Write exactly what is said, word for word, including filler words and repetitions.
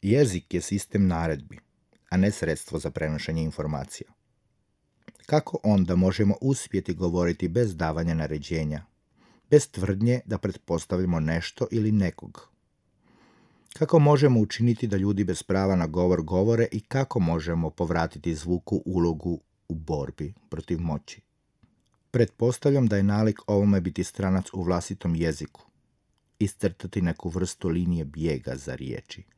Jezik je sistem naredbi, a ne sredstvo za prenošenje informacija. Kako onda možemo uspjeti govoriti bez davanja naređenja, bez tvrdnje da pretpostavljamo nešto ili nekog? Kako možemo učiniti da ljudi bez prava na govor govore i kako možemo povratiti zvuku ulogu u borbi protiv moći? Pretpostavljam da je nalik ovome biti stranac u vlastitom jeziku, iscrtati neku vrstu linije bijega za riječi.